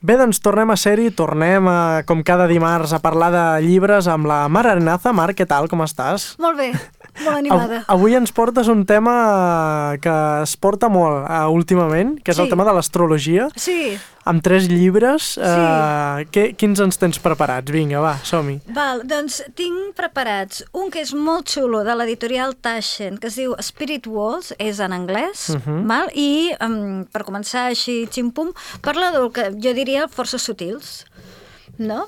Bé, doncs tornem a ser-hi, com cada dimarts, a parlar de llibres amb la Mar Arenaza. Mar, què tal, com estàs? Molt bé, molt animada. Avui ens portes un tema que es porta molt últimament, que és el tema de l'astrologia. Sí. Amb 3 llibres. Quins ens tens preparats? Vinga, va, som-hi. Val, doncs tinc preparats un que és molt xulo, de l'editorial Taschen, que es diu Spirit Walls, és en anglès, val? I per començar així, xim-pum, parla del que jo diria forces sutils, no?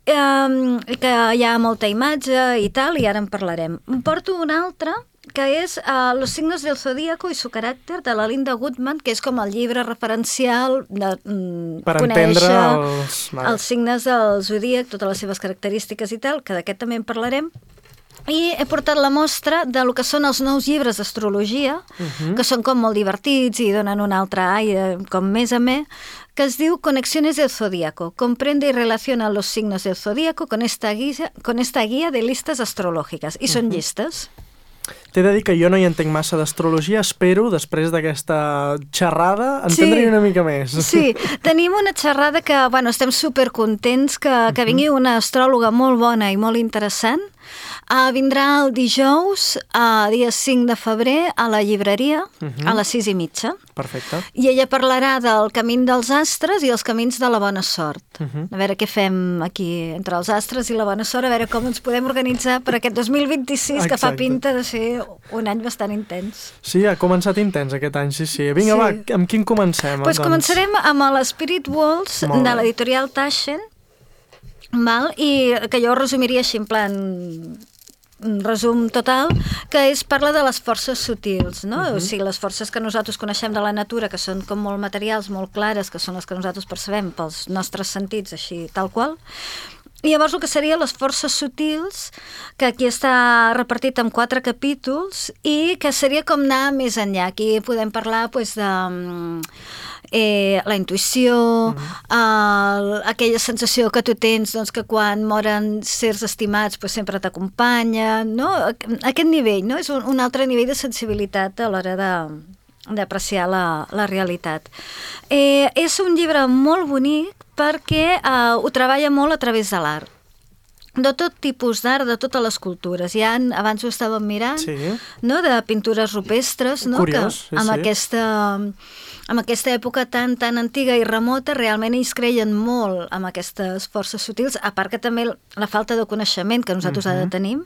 Que hi ha molta imatge i tal, i ara en parlarem. Em porto un altre, que és Los signos del zodíaco y su carácter, de la Linda Goodman, que és com el llibre referencial de per conèixer entendre els signes del zodíac, totes les seves característiques i tal, que d'aquest també en parlarem. I he portat la mostra de lo que són els nous llibres d'astrologia, que són com molt divertits i donen un altre aire, com més a més, que es diu Conexiones del Zodíaco. Comprende y relaciona los signos del Zodíaco con esta guía de listas astrològiques. I són llistes. T'he de dir que jo no hi entenc massa d'astrologia, espero, després d'aquesta xerrada, entendre-hi una mica més. Sí, tenim una xerrada que, bueno, estem supercontents que vingui una astròloga molt bona i molt interessant. Vindrà el dijous, dia 5 de febrer, a la llibreria, a les 6:30. Perfecte. I ella parlarà del camí dels astres i els camins de la bona sort. A veure què fem aquí entre els astres i la bona sort, a veure com ens podem organitzar per aquest 2026, que fa pinta de ser un any bastant intens. Sí, ha començat intens aquest any, sí. Vinga, va, amb quin comencem? Doncs començarem amb l'Spirit Walls de l'editorial Taschen, i que jo resumiria així en plan un resum total, que parla de les forces sutils, no? O sigui, les forces que nosaltres coneixem de la natura, que són com molt materials, molt clares, que són les que nosaltres percebem pels nostres sentits, així tal qual. I llavors el que serien les forces sutils, que aquí està repartit en 4 capítols, i que seria com anar més enllà. Aquí podem parlar de la intuïció, aquella sensació que tu tens que quan moren certs estimats sempre t'acompanya, no? Aquest nivell, no? És un altre nivell de sensibilitat a l'hora d'apreciar la realitat. És un llibre molt bonic perquè ho treballa molt a través de l'art. De tot tipus d'art, de totes les cultures. Abans ho estàvem mirant, no? De pintures rupestres, no? Curiós, que amb aquesta època tan antiga i remota, realment ells creien molt amb aquestes forces sutils, a part que també la falta de coneixement que nosaltres ara tenim,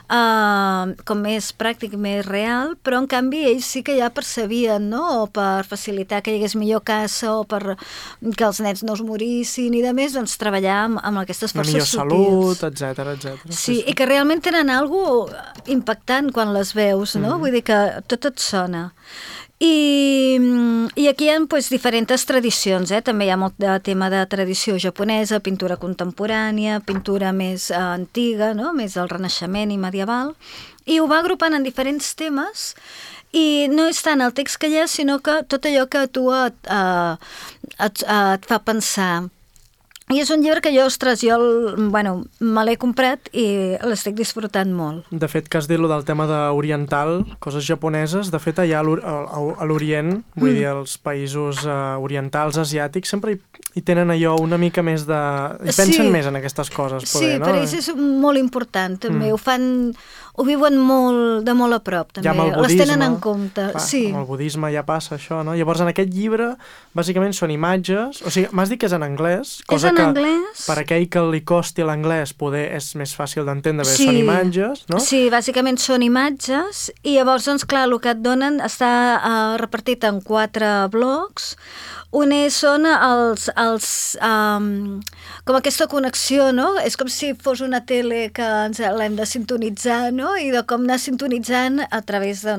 com més pràctic, més real, però en canvi ells sí que ja percebien, no? O per facilitar que hi hagués millor caça, o per que els nens no es morissin i de més, doncs treballar amb aquestes forces sutils. Una millor salut, etcètera. Sí, i que realment tenen alguna impactant quan les veus, no? Vull dir que tot et sona. I aquí hi ha diferents tradicions, també hi ha molt de tema de tradició japonesa, pintura contemporània, pintura més antiga, no? Més del Renaixement i medieval, i ho va agrupant en diferents temes, i no és tant el text que hi ha, sinó que tot allò que a tu et fa pensar. I és un llibre que jo me l'he comprat i l'estic disfrutant molt. De fet, que has dit del tema d'oriental, coses japoneses, de fet allà a l'Orient, vull dir, els països orientals, asiàtics, sempre hi tenen allò una mica més de... Hi pensen més en aquestes coses, poder, no? Sí, per ells és molt important, també. Ho viuen de molt a prop, també. Ja amb el budisme, les tenen en compte. Amb el budisme ja passa això, no? Llavors, en aquest llibre, bàsicament són imatges, o sigui, m'has dit que és en anglès, cosa que per aquell que li costi l'anglès poder és més fàcil d'entendre, són imatges, no? Sí, bàsicament són imatges, i llavors, doncs, clar, el que et donen està repartit en 4 blocs. Un són com aquesta connexió, no? És com si fos una tele que l'hem de sintonitzar, no? I de com anar sintonitzant a través de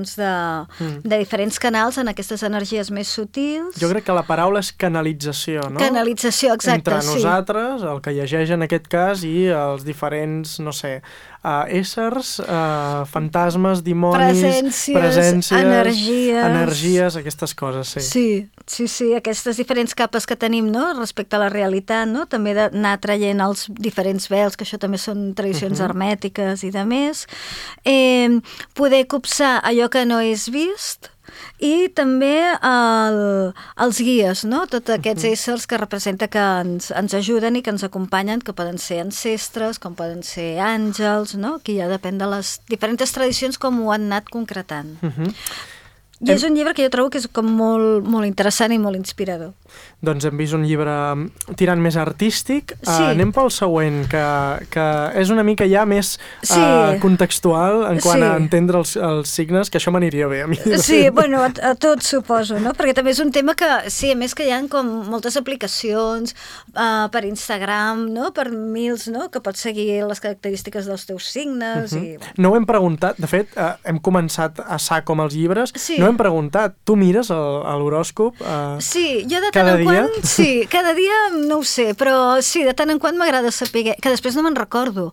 diferents canals en aquestes energies més sutils. Jo crec que la paraula és canalització, no? Canalització, exacte, entre nosaltres, el que llegeix en aquest cas, i els diferents, no sé, éssers, fantasmes, dimonis, presències, energies, aquestes coses, Sí, aquestes diferents capes que tenim, no?, respecte a la realitat, no?, també d'anar traient els diferents vels, que això també són tradicions hermètiques i de més, poder copsar allò que no és vist, i també els guies, no? Tots aquests éssers que representa que ens ajuden i que ens acompanyen, que poden ser ancestres, com poden ser àngels, no? Aquí ja depèn de les diferents tradicions com ho han anat concretant. I és un llibre que jo trobo que és com molt, molt interessant i molt inspirador. Doncs hem vist un llibre tirant més artístic. Anem pel següent, que és una mica ja més contextual en quant a entendre els signes, que això m'aniria bé a mi. Sí, bueno, a tots suposo, no? Perquè també és un tema que, sí, a més que hi ha com moltes aplicacions per Instagram, no? Per mils, no? Que pots seguir les característiques dels teus signes. No ho hem preguntat, de fet, hem començat a sac com els llibres, no hem preguntat, tu mires l'horòscop sí, jo de tant en quant, sí, cada dia no ho sé, però sí, de tant en quant m'agrada saber, que després no me'n recordo,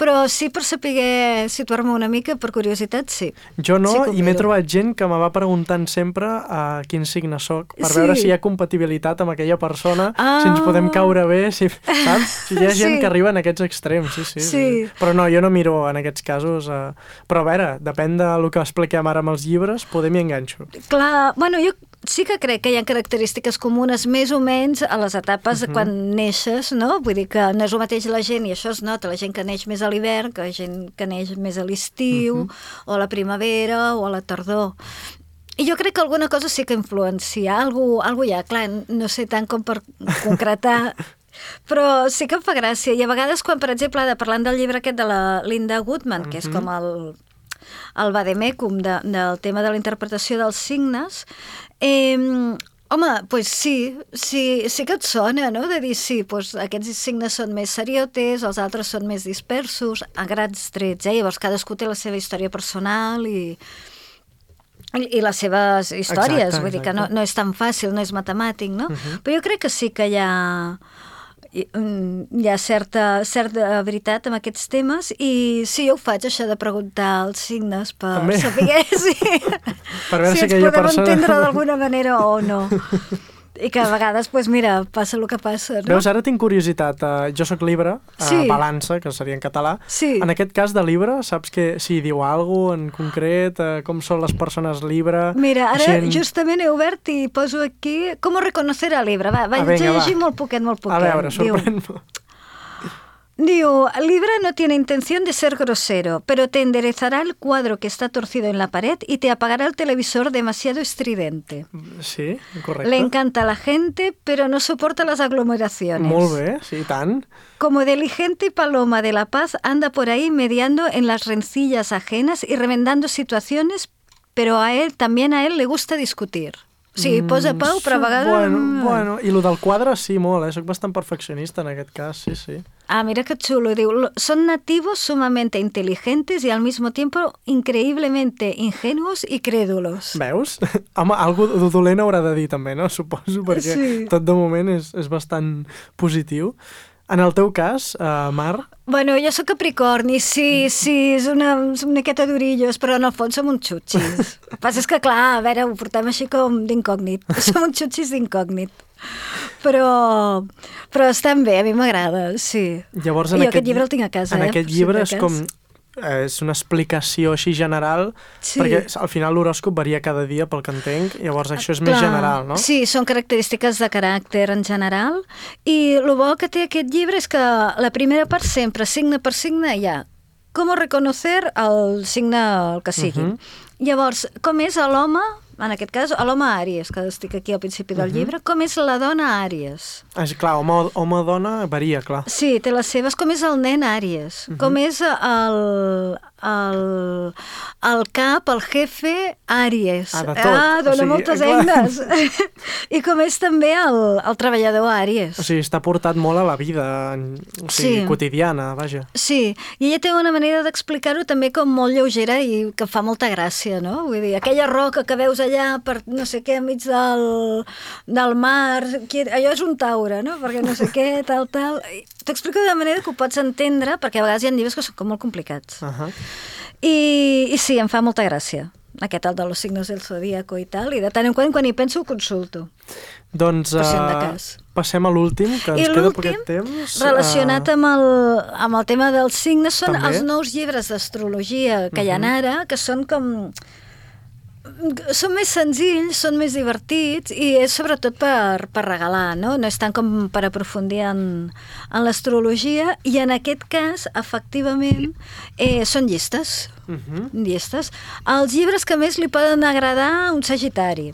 però sí per saber situar-me una mica, per curiositat, sí. Jo no, i m'he trobat gent que me va preguntant sempre a quin signe soc, per veure si hi ha compatibilitat amb aquella persona, si ens podem caure bé, saps? Si hi ha gent que arriba en aquests extrems, sí. Però no, jo no miro en aquests casos, però a veure, depèn del que expliquem ara amb els llibres, podem i enganxo. Clar, bueno, jo sí que crec que hi ha característiques comunes més o menys a les etapes de quan neixes, no? Vull dir que no és el mateix la gent, i això es nota, la gent que neix més a l'hivern, que la gent que neix més a l'estiu, o a la primavera, o a la tardor. I jo crec que alguna cosa sí que influencia, algú hi ha, clar, no sé tant com per concretar, però sí que em fa gràcia. I a vegades quan, per exemple, parlant del llibre aquest de la Linda Goodman, que és com el vademecum del tema de la interpretació dels signes, home, doncs sí que et sona, no?, de dir, sí, doncs aquests signes són més seriotes, els altres són més dispersos, a grans trets, llavors cadascú té la seva història personal i les seves històries, vull dir que no és tan fàcil, no és matemàtic, no? Però jo crec que sí que hi ha certa veritat en aquests temes, i sí, jo ho faig, això de preguntar els signes per saber si ens podem entendre d'alguna manera o no. I que a vegades, doncs mira, passa el que passa, no? Veus, ara tinc curiositat. Jo soc Libra, balança, que seria en català. En aquest cas de Libra, saps que si diu alguna cosa en concret, com són les persones Libra? Mira, ara justament he obert i poso aquí com reconocer a Libra. Va, llegir molt poquet. A veure, sorprèn-me. Digo, Libra no tiene intención de ser grosero, pero te enderezará el cuadro que está torcido en la pared y te apagará el televisor demasiado estridente. Sí, correcte. Le encanta la gente, pero no soporta las aglomeraciones. Molt bé, sí, tant. Como diligente paloma de la paz, anda por ahí mediando en las rencillas ajenas y remendando situaciones, pero también a él le gusta discutir. Sí, posa pau, però a vegades... Bueno, i el del quadre sí, molt, soc bastant perfeccionista en aquest cas, sí. Ah, mira qué chulo, digo, son nativos sumamente inteligentes y al mismo tiempo increíblemente ingenuos y crédulos. Veus? Home, algo dolent haurà de dir també, no? Suposo, perquè tot de moment és bastant positiu. En el teu cas, Mar? Bueno, jo sóc Capricorni, sí, és una miqueta d'orillos, però en el fons som uns xutxis. El que passa és que, clar, a veure, ho portem així com d'incògnit. Som uns xutxis d'incògnit. Però estan bé, a mi m'agrada, sí. Llavors, I jo aquest llibre el tinc a casa, En aquest llibre és com... És una explicació així general, perquè al final l'horòscop varia cada dia, pel que entenc, llavors això és més general, no? Sí, són característiques de caràcter en general, i el bo que té aquest llibre és que la primera part sempre, signe per signe, hi ha com reconocer el signe el que sigui. Llavors, com és l'home, en aquest cas, l'home Àries, que estic aquí al principi del llibre, com és la dona Àries. Clar, home-dona varia, clar. Sí, té les seves, com és el nen Àries, com és el cap, el jefe Àries. Dona moltes eines. I com és també el treballador Àries. O sigui, està portat molt a la vida quotidiana, vaja. Sí, i ella té una manera d'explicar-ho també com molt lleugera i que fa molta gràcia, no? Vull dir, aquella roca que veus allà per no sé què, enmig del mar, allò és un taure, no? Perquè no sé què, tal. T'explico d'una manera que ho pots entendre, perquè a vegades hi ha llibres que són com molt complicats. I sí, em fa molta gràcia, aquest el de los signos del zodíaco i tal, i de tant en quan hi penso ho consulto. Doncs passem a l'últim, que ens queda poquet temps. Relacionat amb el tema dels signes, són els nous llibres d'astrologia que hi ha ara, que són com Són més senzills, són més divertits i és sobretot per regalar, no? No és tant com per aprofundir en l'astrologia i en aquest cas, efectivament, són llistes. Llistes. Els llibres que més li poden agradar a un sagitari.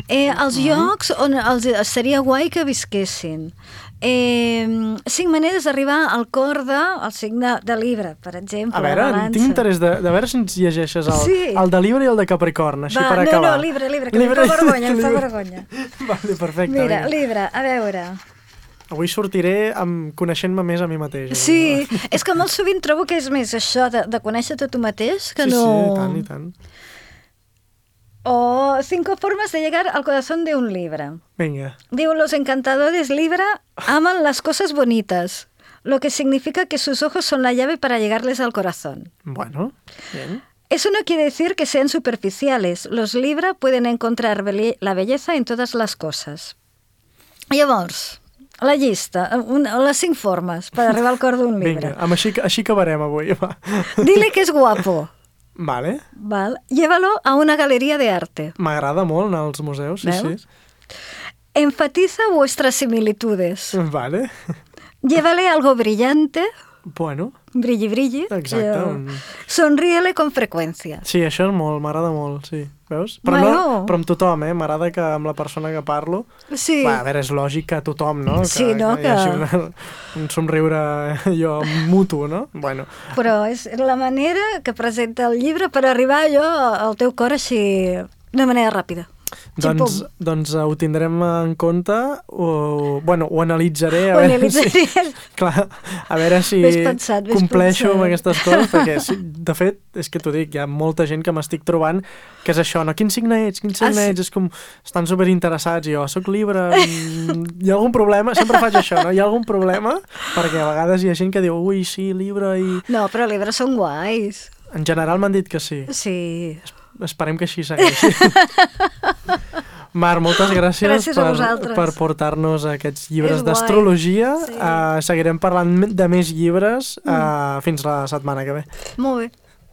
Els llocs on seria guai que visquessin. 5 maneres d'arribar al cor del signe de Libra, per exemple. A veure, tinc interès de veure si ens llegeixes el de Libra i el de Capricorn, així per acabar. No, Libra, que em fa vergonya, Vale, perfecte. Mira, Libra, a veure... Avui sortiré coneixent-me més a mi mateix. Sí, és que molt sovint trobo que és més això de conèixer-te tu mateix que no... Sí, i tant. O 5 formas de llegar al corazón de un Libra. Venga. Digo, los encantadores Libra aman las cosas bonitas, lo que significa que sus ojos son la llave para llegarles al corazón. Bueno, bien. Eso no quiere decir que sean superficiales. Los Libra pueden encontrar la belleza en todas las cosas. Llavors, la llista, les 5 formes per arribar al cor d'un Libra. Vinga, així acabarem avui. Dile que és guapo. Vale. Llévalo a una galería de arte. M'agrada molt anar als museus, sí. Enfatiza vuestras similitudes. Vale. Llévale algo brillante. Bueno. Brilli. Exacte. Sonríele con freqüència. Sí, això és molt, m'agrada molt, sí. Veus? Però amb tothom, m'agrada que amb la persona que parlo... Sí. A veure, és lògic que tothom, no? Sí, no? Que hi hagi un somriure jo mutu, no? Bueno. Però és la manera que presenta el llibre per arribar al teu cor així de manera ràpida. Doncs ho tindrem en compte, ho analitzaré. Clar, a veure si compleixo amb aquestes coses, perquè de fet, és que t'ho dic, hi ha molta gent que m'estic trobant que és això, no? Quin signe ets? És com, estan superinteressats, i jo soc Libra, hi ha algun problema? Sempre faig això, no? Hi ha algun problema? Perquè a vegades hi ha gent que diu, ui, sí, Libra i... No, però Libra són guais. En general m'han dit que sí. Sí. Esperem que així segueixi. Mar, moltes gràcies per portar-nos aquests llibres d'astrologia. Seguirem parlant de més llibres fins la setmana que ve. Molt bé.